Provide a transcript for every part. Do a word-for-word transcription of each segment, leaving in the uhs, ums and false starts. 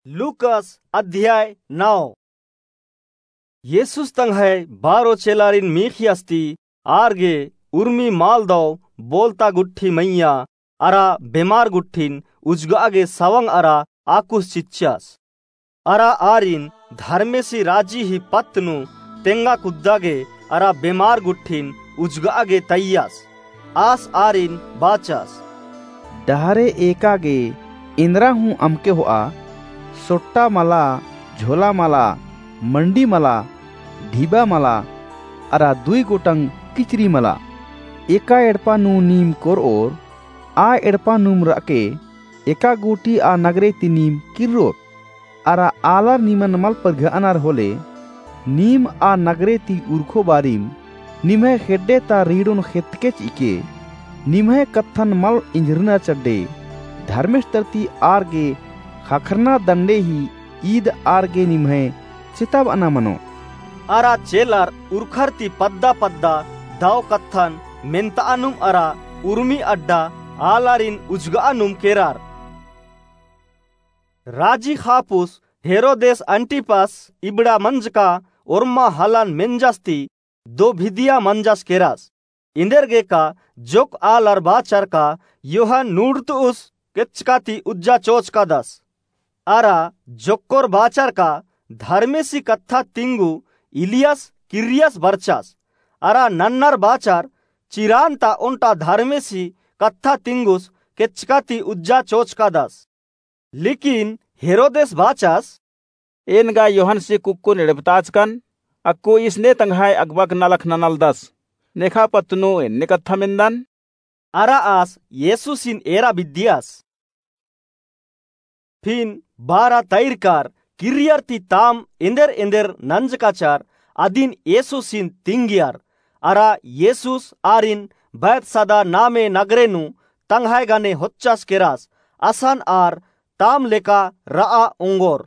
लूकस अध्याय नौ। येसुस तंग्है बारो चेलारिन मीख़ियस ती आर गे उर्मी माल दौ बोलता गुट्ठी मइय्याँ अरा बेमार गुट्ठिन उजगआ गे सवंग अरा आकुस चिच्चस। अरा आरिन धर्मेसी राजी ही पत्त नू तेंगा कुद्दा गे अरा बेमार गुट्ठिन उजगआ गे तइयस। आस आरिन बाचस, डहरे एका गे एन्दरा हूँ अमके होआ, सोट्टा मला, झोला मला, मंडी मला, ढिबा मला, अरा दुई गोटंग किचरी मला। एका एड़पा नू नीम कोरओर, आ एड़पा नूम रअके एका गूटी आ नगरे ती नीम किर्रोर। अरा आलर निमन मल परघअनर होले, नीम आ नगरे ती उरखो बारिम निम्है खेड्डे ता रीड़ोन खेतके चिके, निम्है कत्थन मल इंजरना चड्डे, धर्मेस तरती आर गे ख़क्खरना दंडे ही ईद आर गे निम्है चेताबअना मनो। अरा चेलर उरखर ती पद्दा पद्दा दौ कत्थन मेन्तआनुम अरा उर्मी अड्डा आलारिन उजगआनुम केरर। राजी ख़ापुस हेरोदेस अंटिपस इबड़ा मंजका ओर्मा हलन मेंजस ती दो भिदिया मंजस केरस। इन्देरगेका जोक आलर बाचर का यूहन नूड़तउस केच्चका ती उज्जा चोचकादस। अरा जोक्कोर बाचर का धर्मेसी कत्था तिंगु इलियस किर्रियस बरचस। अरा नन्नर बाचर चिरान ता ओन्टा धर्मेसी कत्था तिंगुस केच्चका ती उज्जा चोचकादस। लेकिन हेरोदेस बाचस, एन गा यूहनसी कुक्कोन एड़पताचकन, अक्कु ईस ने तंग्है अगबक नलख ननालदस, नेखा पत्त नू एन्ने कत्था मेन्दन। अरा आस येसुसिन एरा बिद्दियस। फिन बारा तैरकर किर्रियर ती ताम एन्देर एन्देर नंजकाचर अदिन येसुसिन तिंगियर। अरा येसुस आरिन बैतसदा नामे नगरे नू तंग्है गने होच्चस केरस, असन आर ताम लेका रआ ओंगोर।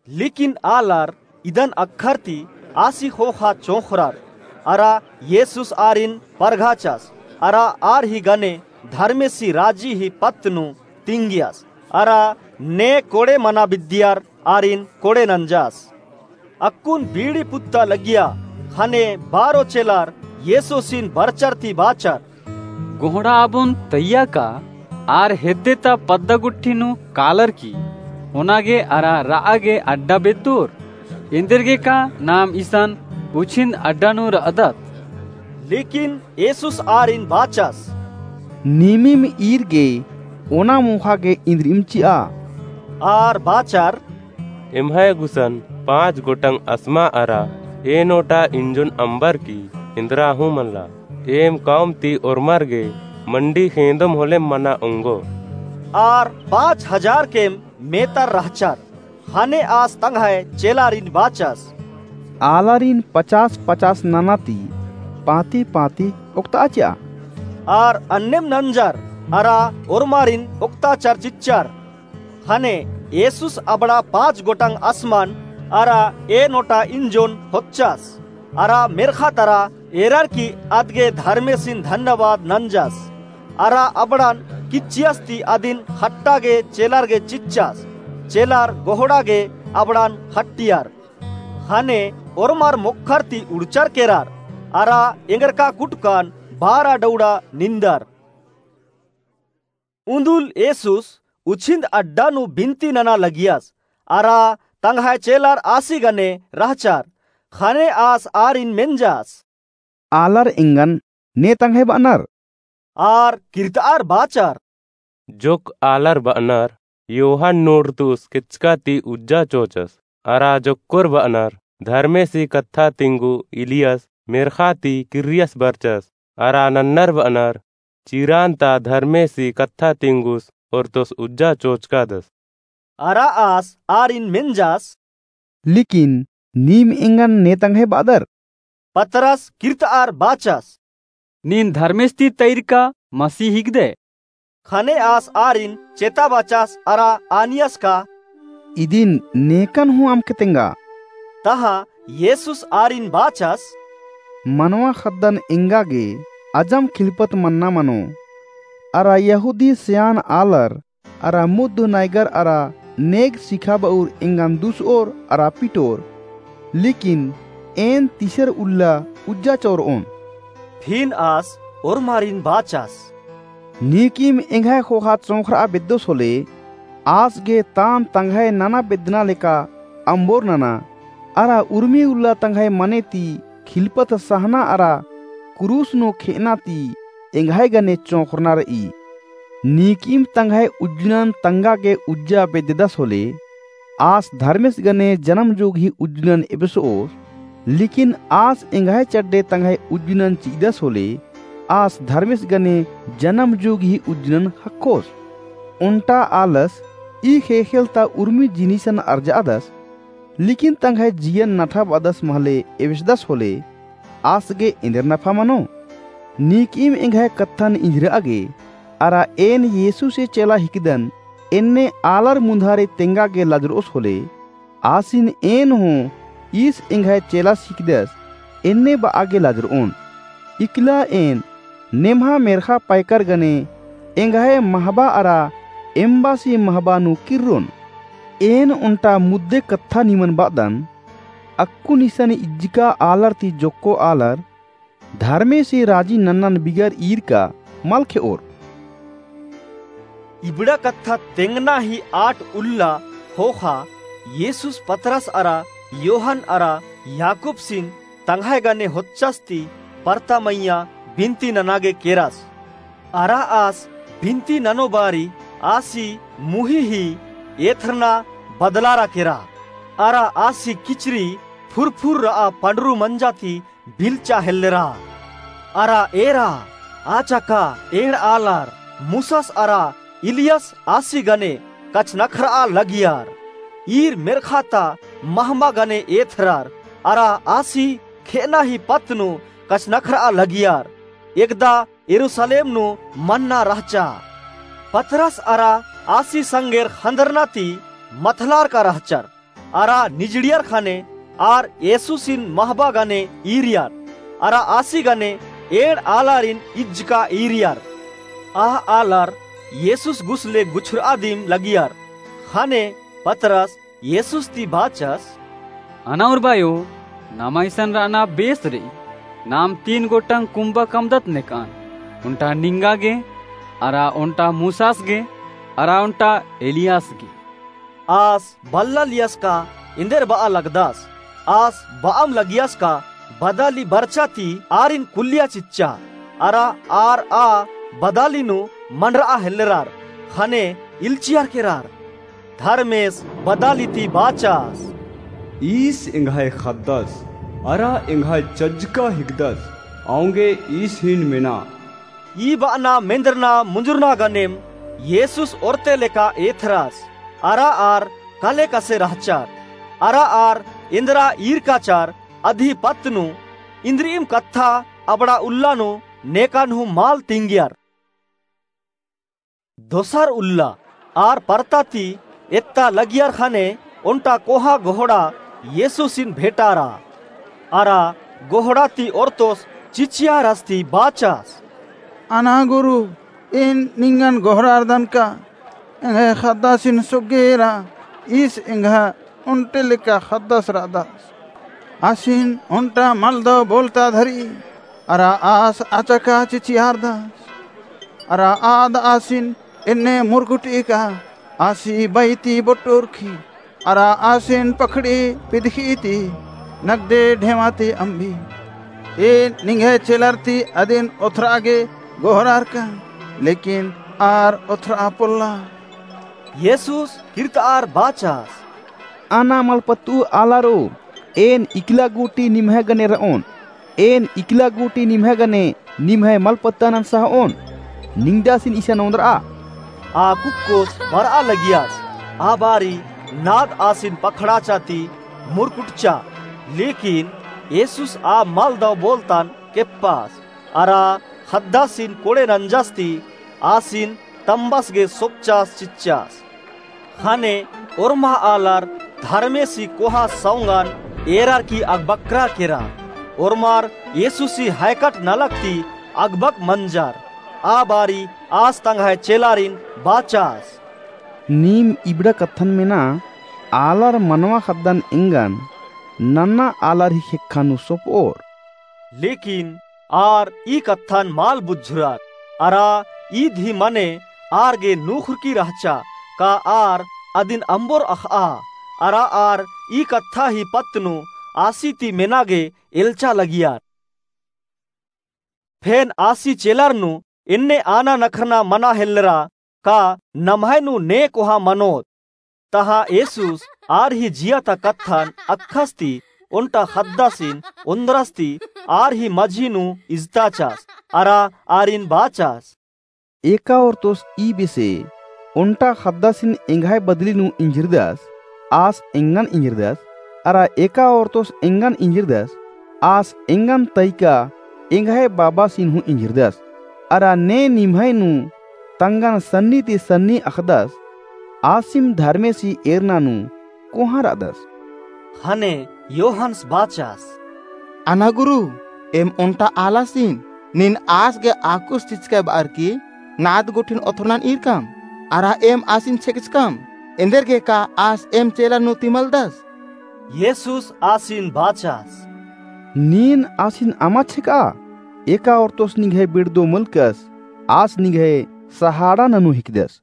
लेकिन आलर इदन अक्खर ती आसी ख़ोख़ा चोंख़रर। अरा येसुस आरिन परघाचस, अरा आर ही गने धर्मेसी राजी ही पत्त नू तिंगियस, अरा ने कोड़े मना बिद्दियर आरिन कोड़े नंजस। अक्कुन बीड़ी पुत्ता लगिया, ख़ने बारो चेलर येसुसिन बरचर ती बाचर, गोहड़ा आबोन तइय्या का आर हेद्दे ता पद्दा गुट्ठी नू कालर की, ओना गे अरा रआ गे अड्डा बेद्दोर? एन्देरगेका नाम इसन उछिन्द अड्डा नू रअदत। लेकिन येसुस आरिन बाचस, नीमिम ईर गे ओना मोख़ा गे इन्द्रिम चिआ। आर बाचर, एम्है गुसन पाँच गोटंग असमा अरा एन ओटा इंजोन अम्बर की एन्दरा हूँ मल्ला। एम कौम ती ओर्मर गे मंडी खेंदोम होले मना ओंगो। आर पाँच हजार केम मेतर रहचर। ख़ने आस तंग्है चेलारिन बाचस, आलारिन पचास पचास नना ती पाँती पाँती ओक्तआ चिआ। आर अन्नेम नंजर अरा ओर्मारिन ओक्ताचर चिच्चर। ख़ने येसुस अबड़ा पाँच गोटंग असमन अरा एन ओटा इंजोन होच्चस। अरा मेर्ख़ा तरा एरर की अदगे धर्मेसिन धन्यवाद नंजस। अरा अबड़न किच्चियस ती अदिन ख़ट्टा गे चेलर गे चिच्चस। चेलर गोहड़ा गे अबड़न ख़ट्टियर। ख़ने ओर्मर मोख़र ती उड़चर केरर। अरा एंगरका कुटकन बारा डौड़ा निंदर। उन्दुल येसुस उछिन्द अड्डा नू बिन्ती नना लगियस। अरा तंग्है चेलर आसी गने रहचर। ख़ने आस आरिन मेंजस, आलर एंगन ने तंग्है बअनर? आर किर्तआर बाचर, जोक आलर बअनर, यूहन नूड़तुस केचका ती उज्जा चोचस। अरा जोक्कोर बअनर, धर्मेसी कत्था तिंगु इलियस मेर्ख़ा ती किर्रियस बरचस। अरा नन्नर बअनर, चिरान ता धर्मेसी कत्था तिंगुस ओर्तोस उज्जा चोचकादस। अरा आस आरिन मेंजस, लेकिन नीम एंगन ने तंग्है बअदर? पतरस किर्तआर बाचस, नीन धर्मेस ती तइरका मसीह हिकदय। ख़ने आस आरिन चेता बाचस अरा आनियस का, इदिन नेकन हूँ अमके तेंगा। तहाँ येसुस आरिन बाचस, मनवा ख़द्दन एंगा गे अजम खिलपत मन्ना मनो। अरा यहूदी सेयान आलर अरा मुद्ध नैगर अरा नेग सिखाब'अर एंगन दुस'ओर अरा पिटोर। लेकिन एन तीसर उल्ला उज्जा चोर'ओन।" फिन आस ओर्मारिन बाचस, "नीकिम एंग्है ख़ोख़ा चोंख़र'आ बेद्दोस होले, आस गे ताम तंग्है नना बेद्दना लेका अम्बोर नना, अरा उर्मी उल्ला तंग्है मने ती खिलपत सहना अरा कुरुस नू खे'अना ती एंग्है गने चोंख़रना र'ई। नीकिम तंग्है उज्जनन तंगा गे उज्जा बेद्ददस होले, आस धर्मेस गने जनम जोगही उज्जनन एबस'ओस, लेकिन आस एंग्है चड्डे तंग्है उज्जनन चि'अदस होले, आस धर्मेस गने जनम जोगही उज्जनन ख़क्खोस।" ओन्टा आलस ई ख़ेख़ेल ता उर्मी जिनिसन अरज'अदस, लेकिन तंग्है जियन नठा ब'अदस महले एबेसदस होले, आस गे एन्देर नफा मनो? नीकिम एंग्है कत्थन इंजर'आ गे, अरा एन येसूसे चेला हिकदन एन्ने आलर मुन्धारे तेंगा गे लजर'ओस होले, आसिन एन हूँ ईस एंग्है चेलास हिकदस एन्ने ब'आ गे लजर'ओन। इकला एन नेम्हा मेर्ख़ा पैकर गने एंग्है महबा अरा एम्बासी महबा नू किर्रोन। एन ओन्टा मुद्दे कत्था निमन ब'अदन, अक्कुन इसन इज्जका आलर ती जोक्को आलर धर्मेसी राजी नन्नन बिगर ईरका मल खे'ओर। इबड़ा कत्था तेंगना ही आठ उल्ला ख़ोख़ा येसूस पतरस अरा योहन अरा याकूबसिन तंग्है गने होच्चस ती परता मइय्याँ बिनती नना गे केरस। अरा आस बिनती ननो बारी आसी मुही ही एथरना बदलारा केरा। अरा आसी किचरी फुरफुर र'आ पंडरू मंजा ती बिलचा हेल्लेरा। अरा एरा, आ चका एंड़ आलर मूसस अरा इलियस आसी गने कछनखर'आ लगियर। ईर मेर्ख़ा ता महमा गने एथरर, अरा आसी खे'अना ही पत्त नू कछनखर'आ लगियर। एकदा यरूसलेम नू मन्ना रहचा। पतरस अरा आसी संगेर ख़न्दरना ती मथलारका रहचर। अरा निजड़ियर ख़ने आर येसूसिन महबा गने ईरियर, अरा आसी गने एंड़ आलारिन इज्जका ईरियर। आ आलर येसूस गुसले गुछर'आ दिम लगियर। ख़ने पतरस येसूस ती बाचस, अना उर्बायो, नमा इसन र'अना बेस र'ई, नाम तीन गोटंग कुम्बा कमदत नेक'अन, ओन्टा निंगा गे, अरा ओन्टा मूसास गे, अरा ओन्टा एलियास गे। आस बल्लालियस का एन्देर ब'आ लगदस। आस ब'अम लगियस का बदाली बरचा ती आरिन कुल्लिया चिच्चा। अरा आर आ बदाली नू मंड़र'आ हेल्लेरर। ख़ने इल्चियर केरर। धर्मेस बदाली ती बाचस, ईस एंग्है ख़द्दस, अरा एंग्है चज्जका हिकदस, औंगे ईस हिन मेना। ई ब'अना मेन्दरना मुंजुरना गनेम येसूस ओर्ते लेका एथरस। अरा आर कले कसे रहचर। अरा आर एन्दरा ईरकाचर अदी पत्त नू इन्द्रिइम कत्था अबड़ा उल्ला नू नेकन हूँ मल तिंगियर। दोसर उल्ला आर परता ती एत्ता लगियर ख़ने ओन्टा कोहा गोहड़ा येसूसिन भेंटारा। अरा गोहड़ा ती ओर्तोस चिचियारस ती बाचस, अना गुरु, एन निंगन गोहरारदन का, एंग्है ख़द्दासिन सोग्गे एरा, ईस एंग्है ओन्टे लेका ख़द्दस र'अदस। आसिन ओन्टा मलदव बोलता धरी, अरा आस अचका चिचियारदस। अरा आद आसिन एन्ने मुरकुट'ई का, आसी बई ती बोट्टुरखी, अरा आसिन पखड़ी पिदखी ती नगदे ढेमा ती अम्बी। एन निंग्है चेलर ती अदिन ओथर'आ गे गोहरारका, लेकिन आर ओथर'आ पोल्ला। येसूस किर्त'अर बाचस, अना मलपत्तु आलारो, एन इकला गूटी निम्है गने र'ओन। एन इकला गूटी निम्है गने निम्है मलपत्तनन सह'ओन। निंगदासिन इसन ओन्द्र'आ। आ कुक्कोस बर'आ लगियस। आ बारी नाद आसिन पखड़ाचा ती मुरकुटचा। लेकिन येसूस आ मलदव बोलतन केप्पस। अरा ख़द्दासिन कोड़े नंजस ती आसिन तम्बस गे सोपचस चिच्चस। ख़ने ओर्मा आलर धर्मेसी कोहा सौंगन एरर की अगबक्रा केरा। ओर्मर येसूसी हैकट नलख ती अगबक मंजर। आ बारी आस तंग्है चेलारिन बाचस, नीम इबड़ा कत्थन मेना, आलर मनवा ख़द्दन एंगन नन्ना आलर ही ख़ेक्खा नू सोपओर। लेकिन आर ई कत्थन मल बुझुरर, अरा ईद ही मने आर गे नूख़ुरकी रहचा, का आर अदिन अम्बोर अख़आ, अरा आर ई कत्था ही पत्त नू आसी ती मेना गे एल्चा लगियर। फेन आसी चेलर नू एन्ने आना नखरना मना हेल्लरा, का नम्है नू ने कोहा मनोत। तहाँ येसुस आर ही जिया ता कत्थन अक्खस ती ओन्टा ख़द्दासिन ओन्द्रस ती आर ही मझी नू इजताचस, अरा आरिन बाचस। एका ओर्तोस ई बेसे ओन्टा ख़द्दासिन एंग्है बदली नू इंझिरदस, आस एंगन इंझिरदस, अरा एका ओर्तोस एंगन इंझिरदस, आस एंगन तइका एंग्है बाबासिन हूँ इंझिरदस। अरा ने निम्है नू तंगन सन्नी ती सन्नी अख़दस, आसिम धर्मेसी एरना नू कोहाँ रअदस। ख़ने योहन्स बाचस। अना गुरु, एम ओन्टा आलासिन नीन आस गे आकुस चिचकय बअर की नाद गुट्ठिन ओथोरनन ईरकम, अरा एम आसिन छेकचकम, एन्देरगे का आस एम चेला नू ती मलदस? येसुस आसिन बाचस। नीन आसिन अमा छेकआ, एका ओर्तोस निंग्है बिड़दो मलकस, आस निंग्है सहाड़ा ननू हिकदस।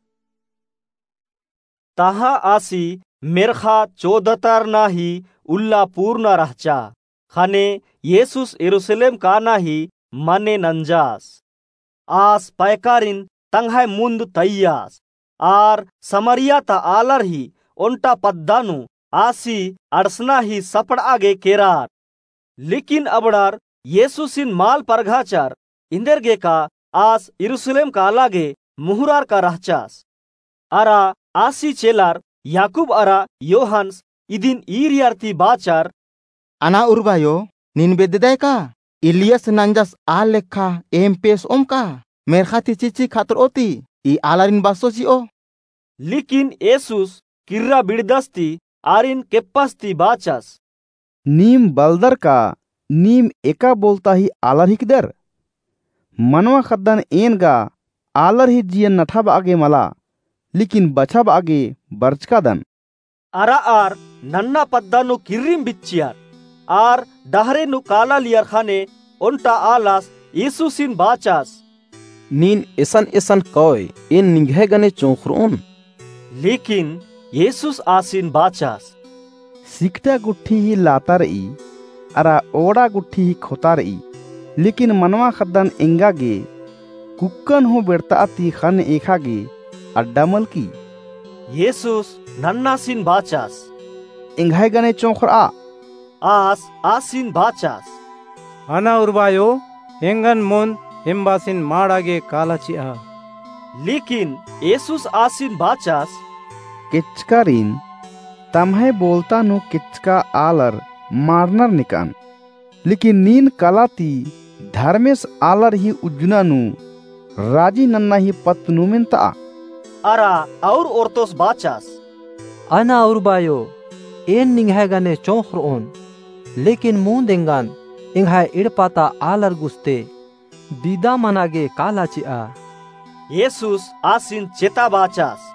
तहाँ आसी मेर्ख़ा चोदतरना ही उल्ला पूर्ना रहचा। ख़ने येसुस यरूसलेम काना ही मने नंजास। आस पैकारिन तंग्है मुन्द तइयास। आर समरिया ता आलर ही ओन्टा पद्दा नू आसी अंड़सना ही सपड़आ गे केरार। लेकिन अबड़ार येसुसिन मल परघाचर, एन्देरगे का आस यरूसलेम काला गे मुहुरारका रहचास। अरा आसी चेलर याकूब अरा योहन्स इदिन ईरियर ती बाचर। अना उर्बायो, नीन बेद्ददय का एलियस नंजस आल लेखा एम पेस ओम का? मेर्ख़ा ती चिच्ची खतरओ ती ई आलारिन बस्सो चिओ। लेकिन येसुस किर्रा बिड़दस ती आरिन केप्पस ती बाचस। नीम बलदर का नीम एका बोलता ही आलर हिकदर? मनवा ख़द्दन एन गा आलर ही जियन नठाबआ गे मला, लेकिन बछाबआ गे बरचकादन। अरा आर नन्ना पद्दा नू किर्रिम बिच्चियर। आर डहरे नू काला लियर ख़ने ओन्टा आलस येसुसिन बाचस। नीन एसन एसन कओय, एन निंग्है गने चोंख़रओन। लेकिन येसुस आसिन बाचस। सिकटा गुट्ठी ही लाता रई, अरा ओड़ा गुट्ठी ही खोता रई, लेकिन मनवा ख़द्दन एंगा गे कुक्कन हूँ बेड़ता ती ख़ने एखा गे अड्डा मलकी। येसुस नन्नासिन बाचस। एंग्है गने चोंख़रआ। आस आसिन बाचस। अना उर्बायो, एंगन मोन एम्बासिन माड़ा गे काला चिआ। लेकिन येसुस आसिन बाचस। केचकारिन तम्है बोलता नू केचका आलर माड़नर नेकअन। लेकिन नीन काला ती धर्मेस आलर ही उज्जना नू राजी नन्ना ही पत्त नू मेनतआ। अरा और ओर्तोस बाचस। अना उर्बायो, एन निंग्है गने चोंख़रओन, लेकिन मुन्द एंगन एंग्है एड़पा ता आलर गुस्ते बिदा मना गे काला चिआ। येसुस आसिन चेता बाचस।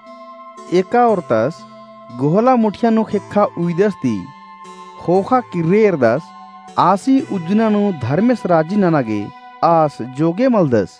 एका ओर्तस गोहला मुठिया नू ख़ेक्खा उइदस ती ख़ोख़ा किर्रे एरदस, आसी उज्जना नू धर्मेस राजी नना गे आस जोगे मलदस।